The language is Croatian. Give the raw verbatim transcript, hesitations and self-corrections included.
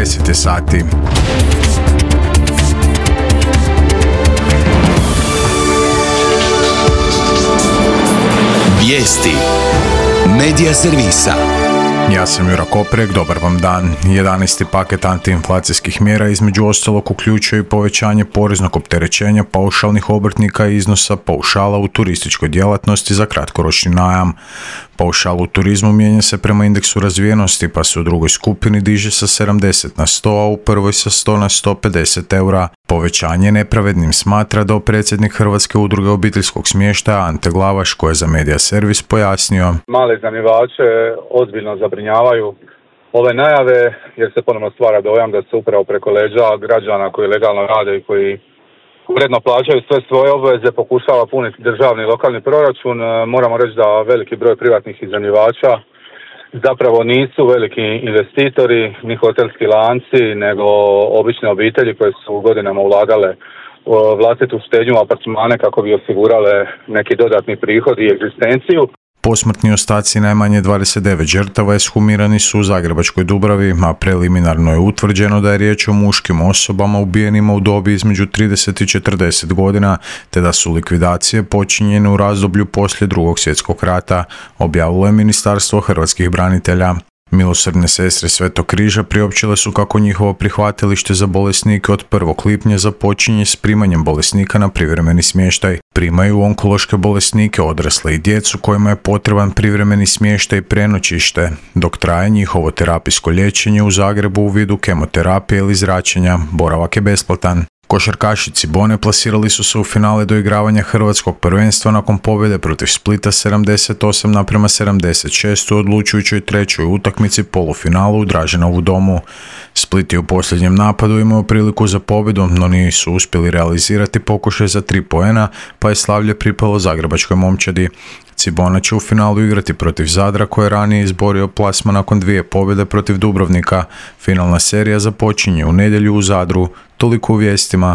deset sati. Vijesti Medija servisa. Ja sam Jura Koprek, dobar vam dan. jedanaesti paket antiinflacijskih mjera između ostalog uključuje i povećanje poreznog opterećenja paušalnih obrtnika i iznosa paušala u turističkoj djelatnosti za kratkoročni najam. Paušal u turizmu mijenja se prema indeksu razvijenosti, pa se u drugoj skupini diže sa sedamdeset na sto, a u prvoj sa sto na sto pedeset eura. Povećanje nepravednim smatra dopredsjednik Hrvatske udruge obiteljskog smještaja Ante Glavaš, koji je za Medija servis pojasnio. Male iznajmljivače ozbiljno zabrinjavaju ove najave, jer se ponovno stvara dojam da se upravo preko leđa građana koji legalno rade i koji uredno plaćaju sve svoje obveze pokušava puniti državni i lokalni proračun. Moramo reći da veliki broj privatnih iznajmljivača zapravo nisu veliki investitori, ni hotelski lanci, nego obične obitelji koje su godinama ulagale vlastitu štednju u apartmane kako bi osigurale neki dodatni prihod i egzistenciju. Posmrtni ostaci najmanje dvadeset devet žrtava ekshumirani su u Zagrebačkoj Dubravi, a preliminarno je utvrđeno da je riječ o muškim osobama ubijenima u dobi između trideset i četrdeset godina, te da su likvidacije počinjene u razdoblju poslije Drugog svjetskog rata, objavilo je Ministarstvo hrvatskih branitelja. Milosrdne sestre Svetog križa priopćile su kako njihovo prihvatilište za bolesnike od prvog lipnja započinje s primanjem bolesnika na privremeni smještaj. Primaju onkološke bolesnike, odrasle i djecu kojima je potreban privremeni smještaj i prenoćište, dok traje njihovo terapijsko liječenje u Zagrebu u vidu kemoterapije ili zračenja. Boravak je besplatan. Košarkaši Cibone plasirali su se u finale doigravanja hrvatskog prvenstva nakon pobjede protiv Splita sedamdeset osam naprema sedamdeset šest u odlučujućoj trećoj utakmici polufinalu u Draženovu domu. Split je u posljednjem napadu imao priliku za pobjedu, no nisu uspjeli realizirati pokušaj za tri poena, pa je slavlje pripalo zagrebačkoj momčadi. Cibona će u finalu igrati protiv Zadra, koji je ranije izborio plasma nakon dvije pobjede protiv Dubrovnika. Finalna serija započinje u nedjelju u Zadru. Toliko u vijestima.